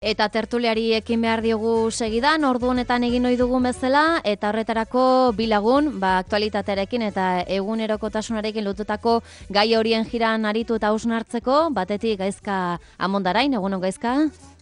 Eta tertuliari ekin behar diogu segidan, ordu honetan egin ohi dugun bezala, eta horretarako bilagun, aktualitatearekin eta egunerokotasunarekin lotutako gai horien jiran aritu eta hausnartzeko, batetik Gaizka Amondarain, egunon Gaizka?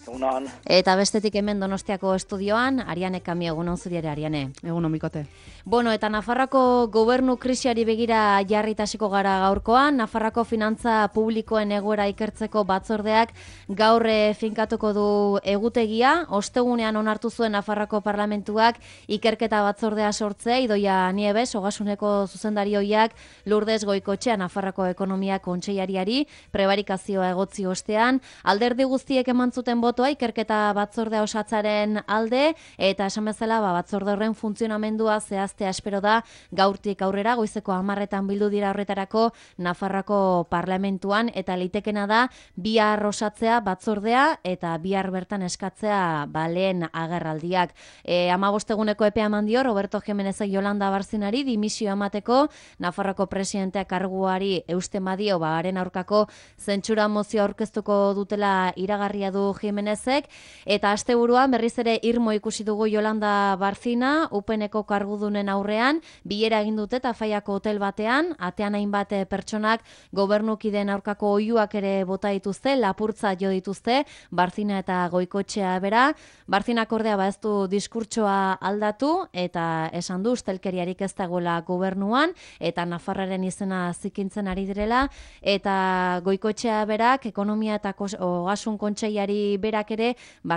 Egunon. Eta bestetik hemen Donostiako estudioan, Ariane Kamio, egunon zuri ere, Ariane. Egunon Mikote. Bueno, eta Nafarroako gobernu krisiari begira jarritasiko gara gaurkoan, Nafarroako finantza publikoen egoera ikertzeko batzordeak gaur finkatuko du egutegia, ostegunean onartu zuen Nafarroako parlamentuak ikerketa batzordea sortzea, Idoia Nieves, Ogasuneko zuzendarioiak Lourdes Goikotxea Nafarroako ekonomia kontseilariari prebarikazioa egotzi ostean, alderdi guztiek eman zuten botoa ikerketa batzordea osatzaren alde, eta esan bezala batzorde horren funtzionamendua zehaztea espero da gaurtik aurrera, goizeko 10:00 bildu dira horretarako Nafarroako parlamentuan, eta litekena da bihar osatzea batzordea eta bihar bertan eskatzea lehen agerraldiak. 15 eguneko epea eman dio Roberto Jimenezek Yolanda Barzinari dimisio emateko, Nafarroako presidentea karguari eusten badio haren aurkako zentsura mozio aurkeztuko dutela iragarria du Jimenezek, eta asteburuan berriz ere irmo ikusi dugu Yolanda Barzina, UPNeko kargudunen aurrean, bilera egin dute Tafaiako hotel batean, atean hainbat pertsonak gobernukideen aurkako oihuak ere bota dituzte, lapurtza jo dituzte, Barzina eta Goikotxea bera. Barzinak ordea ez du diskurtsoa aldatu, eta esan du ustelkeriarik ez dagoela gobernuan, eta Nafarraren izena zikintzen ari direla, eta Goikotxea berak, ekonomia eta ogasun kontseilari berak ere,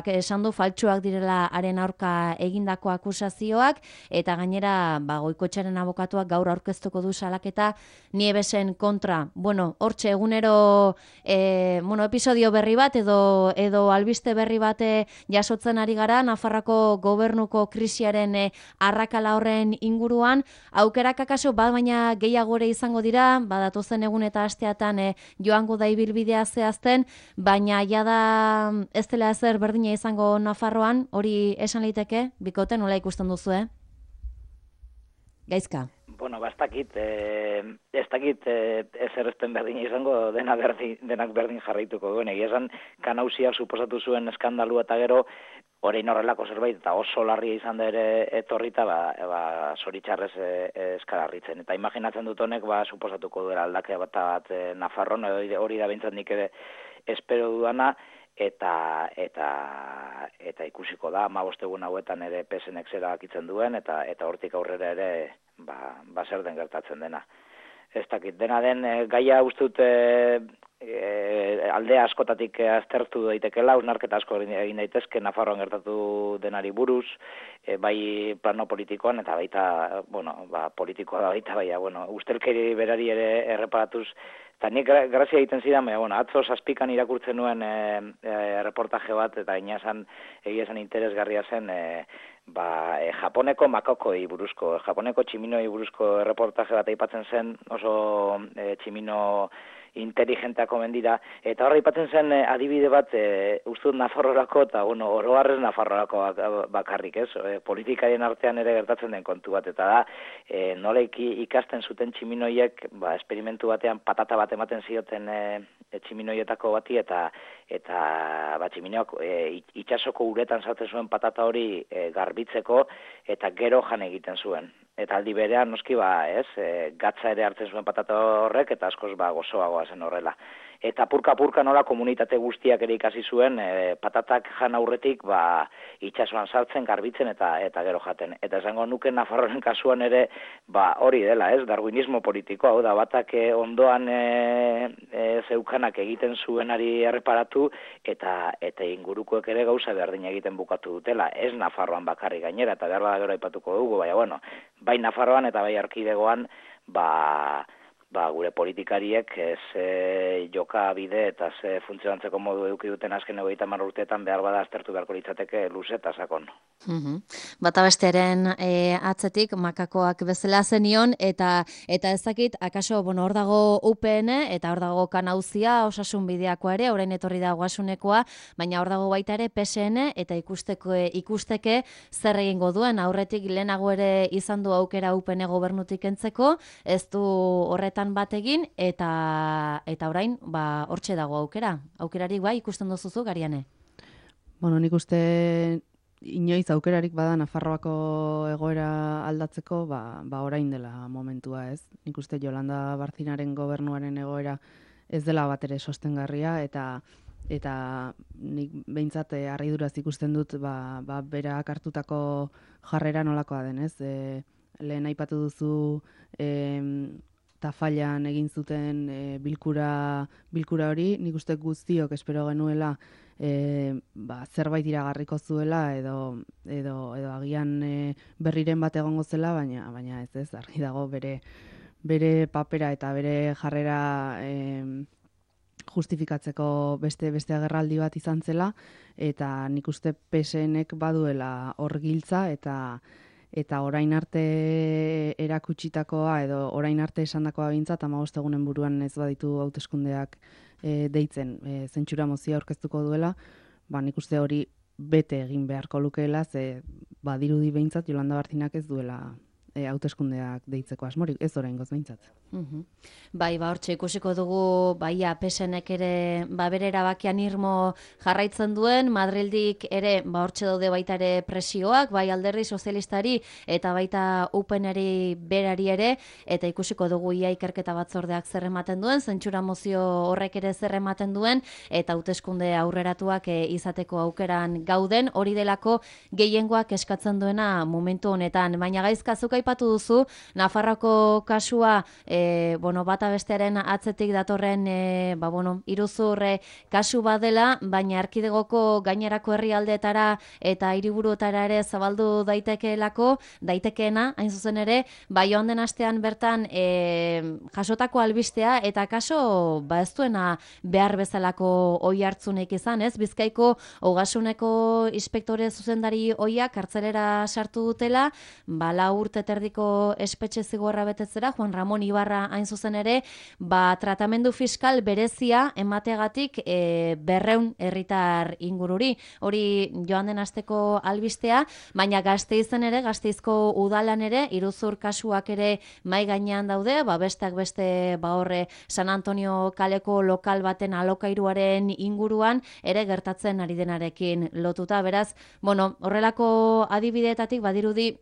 esan du faltsuak direla haren aurka egindako akusazioak, eta gainera Goikotxearen abokatuak gaur aurkeztuko du salaketa Nievesen kontra. Bueno, hortxe egunero episodio berri bat edo albiste berri bat jasotzen ari gara Nafarroako gobernuko krisiaren arrakala horren inguruan. Aukerak akaso baina gehiago ere izango dira, datozen egun eta asteatan joango da ibilbidea zehazten, baina jada ez dela ezer berdina izango Nafarroan, hori esan liteke, Bikote, nola ikusten duzu, Gaizka? Bueno, ez dakit ezer ezten berdina izango, denak berdin jarraituko duen. Egia esan, kanauziak suposatu zuen eskandalu eta gero, orain horrelako zerbait, eta oso larria izan da ere etorrita, zoritxarrez eskalarritzen. Eta imaginatzen dut honek, suposatuko duela aldaketa bat Nafarron, hori da behintzat nik ere espero dudana, eta ikusiko da 15 egun hauetan ere PSNek zera akitzen duen, eta hortik aurrera ere zer den gertatzen dena. Ez dakit, dena den gaia uste dut aldea askotatik aztertu daitekela, hausnarketa asko egin daitezke Nafarroan gertatu denari buruz, bai plano politikoan eta baita, politikoa da baita, ustelkeri berari ere erreparatuz. Eta nik grazia egiten zidan, atzo 7:00 irakurtzen nuen reportaje bat, eta egia esan interesgarria zen, Japoneko makokoi buruzko, Japoneko tximinoi buruzko reportaje bat aipatzen zen, oso tximino inteligenteako mendira, eta horra aipatzen zen adibide bat ustut Nafarroako, eta oroharrez Nafarroako bakarrik, ez? Politikarien artean ere gertatzen den kontu bat, eta da, nola ikasten zuten tximinoiek, esperimentu batean patata bat ematen zioten tximinoietako bati, eta tximinoak itxasoko uretan sartzen zuen patata hori garbitzeko, eta gero jan egiten zuen. Eta aldi berean, noski, gatza ere hartzen zuen patata horrek, eta askoz gozoagoa zen horrela. Eta purka-purka nola komunitate guztiak ere ikasi zuen, patatak jan aurretik, itxasuan sartzen, garbitzen eta gero jaten. Eta esango nuke Nafarroaren kasuan ere, hori dela, ez, darwinismo politikoa, hau da, batak ondoan zeukanak egiten zuenari erreparatu, eta ingurukoek ere gauza berdina egiten bukatu dutela. Ez Nafarroan bakarrik gainera, eta behar gero aipatuko dugu, bai Nafarroan eta bai Erkidegoan, gure politikariek joka bide eta funtzionantzeko modu eduki duten azken 30 urteetan behar bada aztertu beharko litzateke luze eta sakon. Bata bestearen atzetik makakoak bezala zenion, eta ezakit, akaso, hor dago UPN, eta hor dago Kanauzia, Osasun Bideakoa ere, orain etorri da Ogasunekoa, baina hor dago baita ere PSN, eta ikusteke zer egingo duen, aurretik lehenago ere izan du aukera UPN gobernutik entzeko, ez du horretan bat egin, eta orain, hortxe dago aukera. Aukerarik ikusten duzuzu, Gariane? Bueno, nik uste inoiz aukerarik bada Nafarroako egoera aldatzeko, orain dela momentua, ez? Nik uste Yolanda Barcinaren gobernuaren egoera ez dela bat ere sostengarria, eta nik behintzat harriduraz ikusten dut berak hartutako jarrera nolakoa den, ez? Lehen aipatu duzu Tafallan egin zuten bilkura hori, nik uste guztiok espero genuela zerbait iragarriko zuela edo agian berriren bat egongo zela, baina ez argi dago bere papera eta bere jarrera justifikatzeko beste agerraldi bat izan zela, eta nik uste PSNek baduela hor giltza eta orain arte erakutsitakoa edo orain arte esandakoa behintzat 15 egunen buruan ez baditu hauteskundeak deitzen zentsura mozioa aurkeztuko duela, nik uste hori bete egin beharko lukeela, ze badirudi behintzat Yolanda Barcinak ez duela hauteskundeak deitzeko asmorik, ez oraingoz behintzat. Bai, hortxe ikusiko dugu, PSNek ere bere erabakian irmo jarraitzen duen, Madrildik ere hortxe daude baita ere presioak, bai Alderdi Sozialistari eta baita UPNeri berari ere, eta ikusiko dugu ia ikerketa batzordeak zer ematen duen, zentsura mozio horrek ere zer ematen duen, eta hauteskunde aurreratuak izateko aukeran gauden, hori delako gehiengoak eskatzen duena momentu honetan. Baina Gaizka, zuk aipatu duzu, Nafarroako kasua bata bestearen atzetik datorren iruzur kasu badela, baina erkidegoko gainerako herrialdeetara eta hiriburuetara ere zabaldu daitekeena, hain zuzen ere, joan den astean bertan jasotako albistea eta kaso ez duena behar bezalako oihartzunik izan, ez? Bizkaiko Ogasuneko inspektore zuzendari ohiak kartzelera sartu dutela, 4 urte terdiko espetxe zigorra betetzera, Juan Ramon Ibarra hain zuzen ere, tratamendu fiskal berezia emateagatik 200 herritar ingururi. Hori joan den asteko albistea, baina Gasteizen ere, Gasteizko udalan ere, iruzur kasuak ere mai gainean daude, besteak beste horre San Antonio kaleko lokal baten alokairuaren inguruan ere gertatzen ari denarekin lotuta. Beraz, horrelako adibideetatik badirudi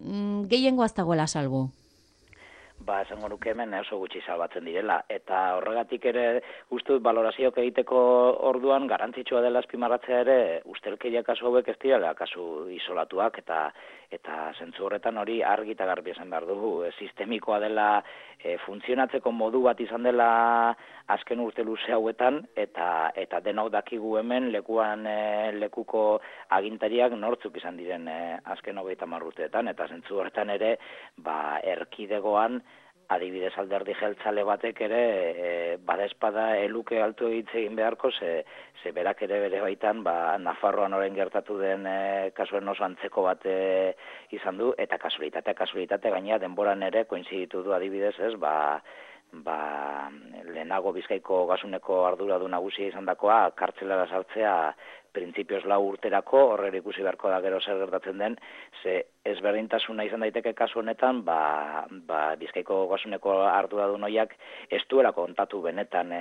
gehiengo ez dagoela salbu. Esango nuke hemen oso gutxi salbatzen direla, eta horregatik ere uste dut balorazioak egiteko orduan garrantzitsua dela azpimarratzea ere ustelkeria kasu hauek ez direla kasu isolatuak, eta zentzu horretan hori argi eta garbi esan behar dugu. Sistemikoa dela, funtzionatzeko modu bat izan dela azken urte luze hauetan, eta denok dakigu hemen lekuko agintariak nortzuk izan diren azken 30 urteetan, eta zentzu horretan ere erkidegoan adibidez Alderdi Jeltzale batek ere badespada eluke altu egin beharko, ze berak ere bere baitan Nafarroan orain gertatu den kasuen oso antzeko bat izan du, eta kasualitate gainera denboran ere koinziditu du adibidez, ez, lehenago Bizkaiko Ogasuneko arduradun nagusia izandakoa kartzelara sartzea printzipioz 4 urterako, horre ikusi beharko da gero zer gertatzen den, ze ezberdintasuna izan daiteke kasu honetan, Bizkaiko Ogasuneko arduradun horiek ez duela kontatu benetan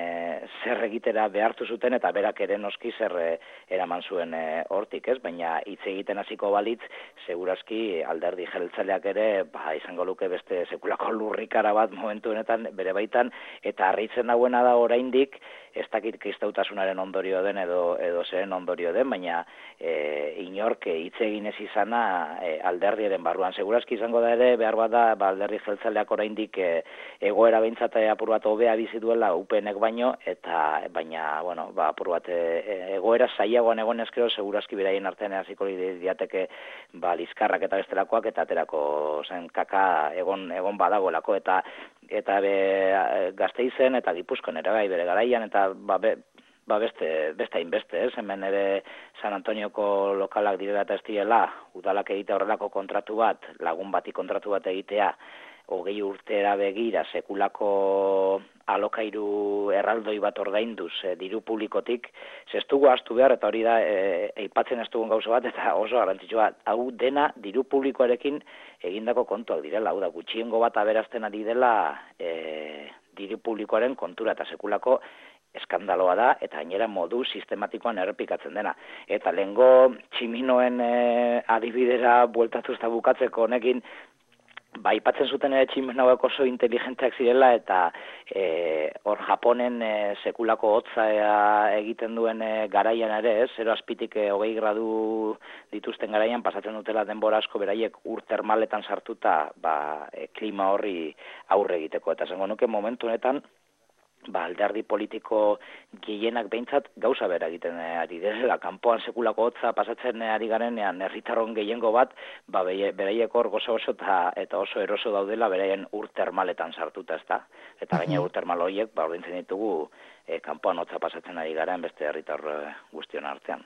zer egitera behartu zuten, eta berak ere noski zer eraman zuen hortik, ez? Baina hitz egiten hasiko balitz, segurazki Alderdi Jeltzaleak ere izango luke beste sekulako lurrikara bat momentu honetan bere baitan, eta harritzen dauena da oraindik, ez dakit kristautasunaren ondorio den edo zeren ondorio den, baina inork hitz egin ez izana alderdiaren barruan. Segurazki izango da ere, behar bat da, Alderdi Jeltzaleak oraindik egoera behintzat apur bat hobea bizi duela UPNek baino, eta baina, apur bat egoera zailagoan egon ezkero, segurazki beraien artean hasiko diateke lizkarrak eta bestelakoak, eta aterako zen kaka egon badagoelako, eta Gasteizen eta Gipuzkoan ere bai bere garaian, eta beste hainbeste, ez? Hemen ere San Antonioko lokalak direla eta ez direla, udalak egitea horrelako kontratu bat, lagun bati kontratu bat egitea, 20 urtera begira sekulako alokairu erraldoi bat ordainduz diru publikotik, ez dugu ahaztu behar, eta hori da aipatzen ez dugun gauza bat, eta oso garrantzitsua, hau dena diru publikoarekin egindako kontuak direla, hau da gutxiengo bat aberazten ari dela diru publikoaren kontura, eta sekulako eskandaloa da, eta gainera modu sistematikoan errepikatzen dena. Eta lehengo tximinoen adibidera bueltatuz eta bukatzeko honekin, aipatzen zuten ere tximino hauek oso inteligenteak zirela, eta hor Japonen sekulako hotza egiten duen garaian ere, 0 azpitik 20 gradu dituzten garaian, pasatzen dutela denbora asko beraiek ur termaletan sartuta klima horri aurre egiteko. Eta esango nuke momentu honetan, alderdi politiko gehienak behintzat gauza bera egiten ari direla. Kanpoan sekulako hotza pasatzen ari garenean herritarron gehiengo bat, beraiek hor gozo eta oso eroso daudela beraien ur termaletan sartuta, ezta. Eta gaina ur termal horiek ordaintzen ditugu kanpoan hotza pasatzen ari garen beste herritar guztion artean.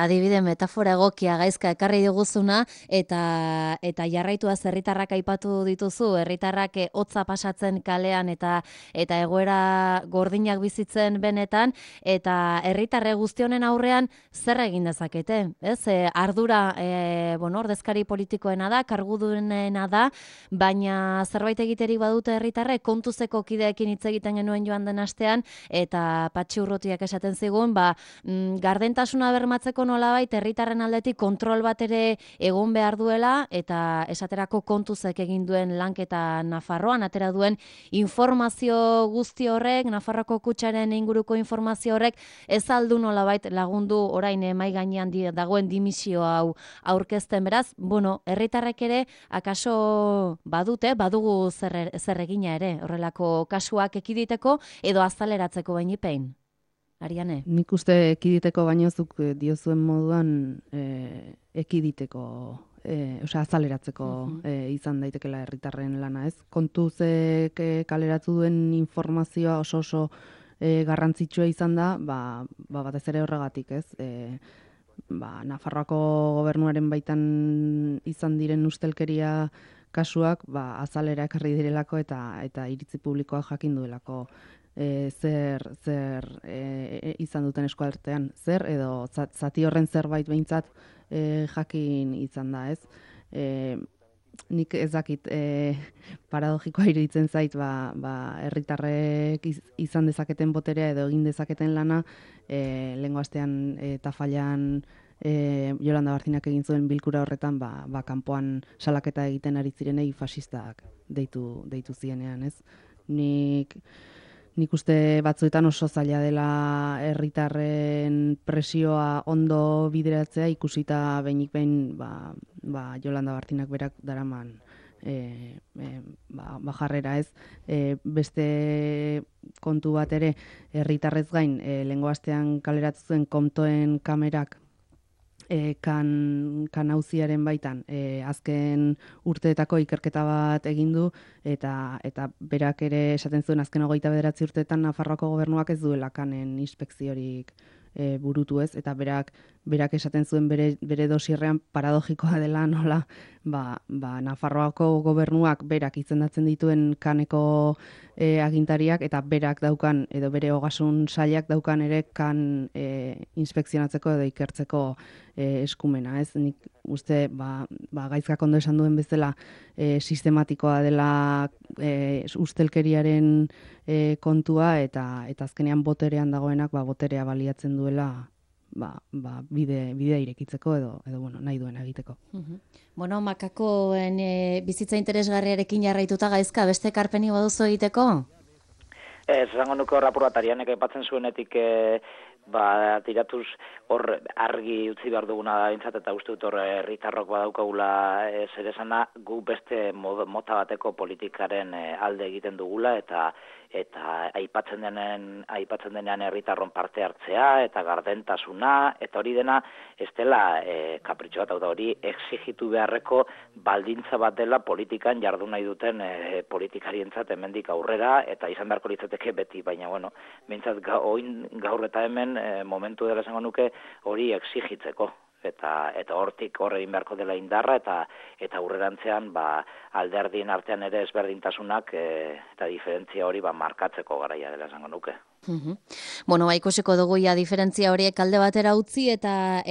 Adibide metafora egokia gaizka ekarri diguzuna, eta jarraituaz herritarrak aipatu dituzu, herritarrak hotza pasatzen kalean eta egoera gordinak bizitzen benetan, eta herritarre guztionen aurrean zer egin dezakete, ez? Ardura ordezkari politikoena da, kargudunena da, baina zerbait egiterik badute herritarrek, kontuzeko kideekin hitz egiten genuen joan den astean, eta Patxi Urrutiak esaten zigun, gardentasuna bermatzeko nolabait herritarren aldetik kontrol bat ere egon behar duela, eta esaterako kontuzek egin duen lanketa Nafarroan, atera duen informazio guzti horrek, Nafarroako kutxaren inguruko informazio horrek, ez aldu nolabait lagundu orain mahai gainean dagoen dimisio hau aurkezten. Beraz, herritarrek ere, akaso badugu zer egina ere, horrelako kasuak ekiditeko, edo azaleratzeko bainipein. Ariane? Nik uste ekiditeko baino zuk diozuen moduan ekiditeko, azaleratzeko izan daitekela herritarren lana, ez? Kontuzek kaleratu duen informazioa oso garrantzitsua izan da, batez ere horregatik, ez? Nafarroako gobernuaren baitan izan diren ustelkeria kasuak azalera ekarri direlako eta iritzi publikoak jakin duelako zer izan duten eskuartean, zer edo zati horren zerbait behintzat jakin izan da, ez? Nik ez dakit paradogikoa iruditzen zait, herritarrek izan dezaketen boterea edo egin dezaketen lana, lehengo astean Tafallan Yolanda Barcinak egin zuen bilkura horretan, kanpoan salaketa egiten ari zirenei fasistak deitu zienean, ez? Nik uste batzuetan oso zaila dela herritarren presioa ondo bideratzea, ikusita behinik behin Yolanda Barcinak berak daraman jarrera, ez? Beste kontu bat ere, herritarrez gain, lehengo astean kaleratu zuen Komtoen kamerak kan auziaren baitan azken urteetako ikerketa bat egin du, eta berak ere esaten zuen azken 29 urteetan Nafarroako gobernuak ez duela kanen inspekziorik burutu, ez, eta berak esaten zuen bere dosierrean paradogikoa dela nola Nafarroako gobernuak berak izendatzen dituen kaneko agintariak eta berak daukan edo bere ogasun sailak daukan ere kan inspekzionatzeko edo ikertzeko eskumena, ez? Nik uste gaizkak ondo esan duen bezala sistematikoa dela ustelkeriaren kontua eta azkenean boterean dagoenak boterea baliatzen duela bidea irekitzeko edo nahi duena egiteko. Makakoen bizitza interesgarriarekin jarraituta gaizka, beste ekarpeni baduzu egiteko? Ez, zango nuke hor apur bat Arianek aipatzen zuenetik tiratuz hor argi utzi behar duguna da bintzat, eta uste dut hor herritarrok badaukagula zer esana, gu beste mota bateko politikaren alde egiten dugula, eta aipatzen denean herritarron parte hartzea eta gardentasuna, eta hori dena ez dela kapritxo bat, da hori exigitu beharreko baldintza bat dela politikan jardun nahi duten politikarientzat hemendik aurrera, eta izan beharko litzateke beti, baina bintzat gaur eta hemen momentu dela esango nuke hori exigitzeko. Eta hortik egin beharko dela indarra, eta aurrerantzean alderdien artean ere ezberdintasunak eta diferentzia hori markatzeko garaia dela esango nuke. Bueno, ikusiko dugu ja diferentzia horiek alde batera utzi eta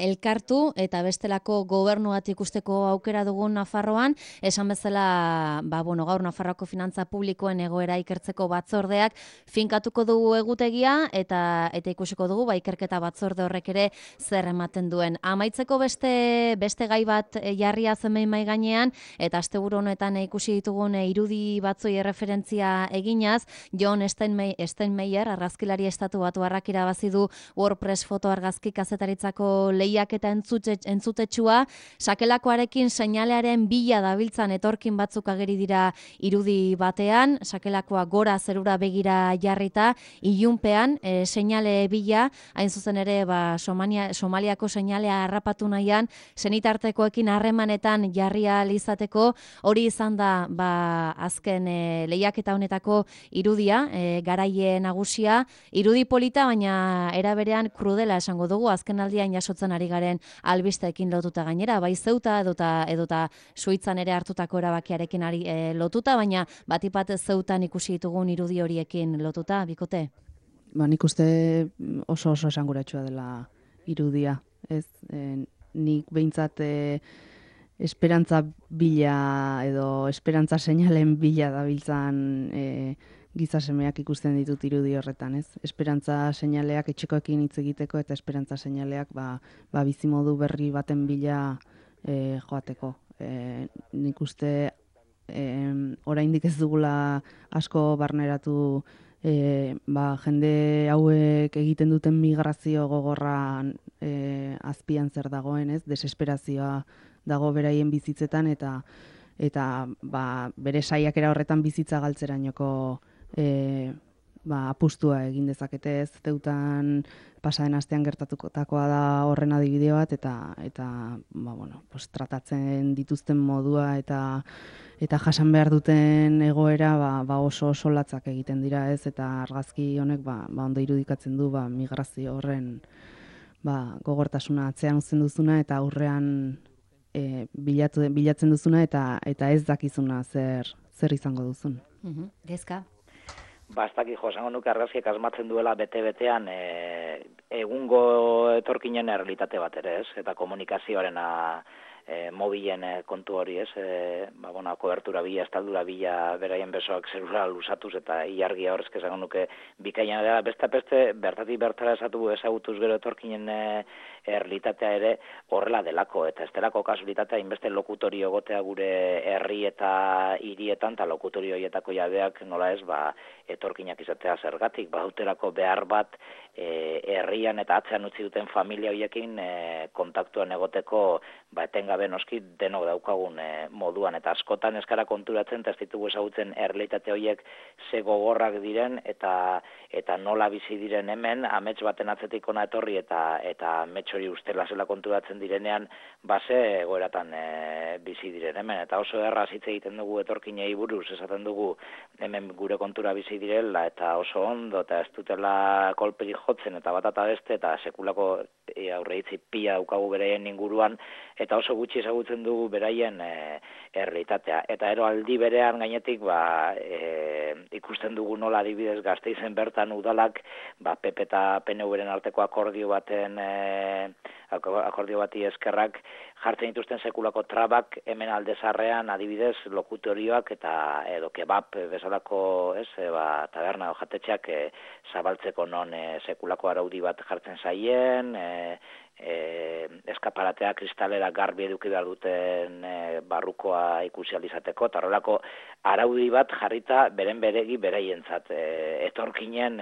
elkartu eta bestelako gobernu bat ikusteko aukera dugun Nafarroan, esan bezala, gaur Nafarroako finantza publikoen egoera ikertzeko batzordeak finkatuko dugu egutegia eta ikusiko dugu ikerketa batzorde horrek ere zer ematen duen. Amaitzeko beste gai bat jarria zenbait mahai gainean eta asteburu honetan ikusi ditugun irudi batzoi erreferentzia eginaz, John Steinmeier argazkilari estatu batuarrak irabazi du WordPress foto argazki kazetaritzako lehiaketa entzutetsua, sakelakoarekin seinalearen bila dabiltzan etorkin batzuk ageri dira irudi batean, sakelakoa gora zerura begira jarrita, ilunpean seinale bila, hain zuzen ere Somaliako seinalea harrapatu nahian, senitartekoekin harremanetan jarria izateko, hori izan da azken lehiaketa honetako irudia, garaie nagusia, irudi polita, baina era berean krudela esango dugu, azken aldian jasotzen ari garen albisteekin lotuta gainera, bai Zeuta edota Suitzan ere hartutako erabakiarekin lotuta, baina batipat Zeutan ikusi ditugun irudi horiekin lotuta, bikote? Nik uste oso esanguratsua dela irudia, ez? Nik behintzat esperantza bila edo esperantza seinalen bila dabiltzan gizasemeak ikusten ditut irudi horretan, ez? Esperantza seinaleak etxekoekin hitz egiteko eta esperantza seinaleak bizimodu berri baten bila joateko. Nik uste oraindik ez dugula asko barneratu jende hauek egiten duten migrazio gogorra azpian zer dagoen, ez? Desesperazioa dago beraien bizitzetan eta bere saiakera horretan bizitza galtzerainoko apustua egin dezakete, ez? Zeutan pasaden astean gertatukotakoa da horren adibide bat eta tratatzen dituzten modua eta jasan behar duten egoera oso latzak egiten dira, ez? Eta argazki honek ondo irudikatzen du migrazio horren gogortasuna atzean uzten duzuna eta aurrean bilatzen duzuna eta ez dakizuna zer izango duzun. Gezka? Bastaki esango nuke argazkiak asmatzen duela bete-betean egungo etorkinen errealitate bat ere, ez? Eta komunikazioarena mobilen kontu hori, ez? Kobertura bila, estaldura bila, beraien besoak zerura lusatuz eta ilargia horrezke esango nuke bikaina dela, beste bertatik bertara ezagutuz gero etorkinen errealitatea ere horrela delako, eta ez delako kasualitatea inbeste lokutorio gotea gure herri eta hirietan, eta lokutorio horietako jabeak nola ez, etorkinak izatea zergatik, badutelako behar bat herrian eta atzean utzi duten familia horiekin kontaktuan egoteko etengabe noski denok daukagun moduan, eta askotan eskara konturatzen eta ez ditugu ezagutzen errealitate horiek ze gogorrak diren eta nola bizi diren hemen, amets baten atzetik ona etorri eta amets hori ustela zela konturatzen direnean base egoeratan bizi diren hemen, eta oso erraz hitz egiten dugu etorkinei buruz, esaten dugu hemen gure kontura bizi direla eta oso ondo eta ez dutela kolperik jotzen eta bat eta beste eta sekulako aurreitzi pila daukagu beraien inguruan eta oso gutxi ezagutzen dugu beraien errealitatea. Eta ero aldi berean gainetik ikusten dugu nola adibidez Gasteizen bertan udalak PP eta PNV-ren arteko akordio bati eskerrak jartzen dituzten sekulako trabak hemen aldezarrean adibidez lokutorioak eta edo kebab bezalako taberna o jatetxeak zabaltzeko non sekulako araudi bat jartzen zaien, eskaparatea kristalera garbi eduki behar duten barrukoa ikusi alizateko, eta horrelako araudi bat jarrita beregi beraientzat, etorkinen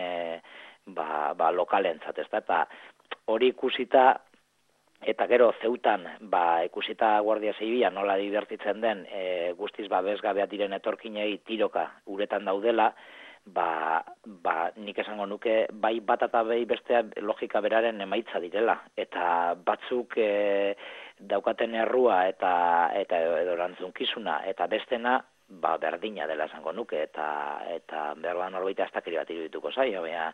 lokalentzat, eta hori ikusita eta gero Zeutan ikusita Guardia Zibila nola divertitzen den guztiz babesgabea diren etorkinei tiroka uretan daudela, nik esango nuke bai bat eta bai bestea logika beraren emaitza direla, eta batzuk daukaten errua eta edo erantzunkizuna, eta bestena berdina dela esango nuke, eta behar da norbaita astakeri bat irudituko zaio, baina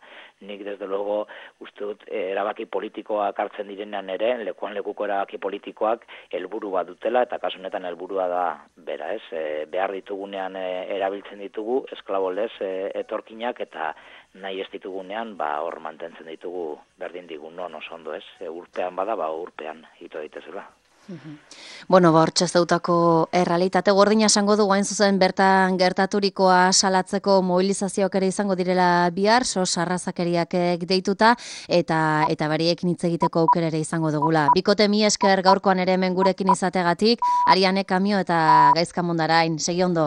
nik desde luego uste dut erabaki politikoak hartzen direnean ere, lekuan lekuko erabaki politikoak helburu bat dutela, eta kasu honetan helburua da bera, behar ditugunean erabiltzen ditugu, esklabolez etorkinak, eta nahi ez ditugunean, hor mantentzen ditugu berdin digun non oso ondo, urpean bada, urpean ito daitezela. Bueno, hortxe zeutako errealitate gordina esango du hain zuzen bertan gertaturikoa salatzeko mobilizazioak ere izango direla bihar, sarrazakeriak deituta eta beriekin hitz egiteko aukera ere izango dugula. Bikote mi esker gaurkoan ere hemen gurekin izategatik, Ariane Kamio eta Gaizka Mondarain, segi ondo.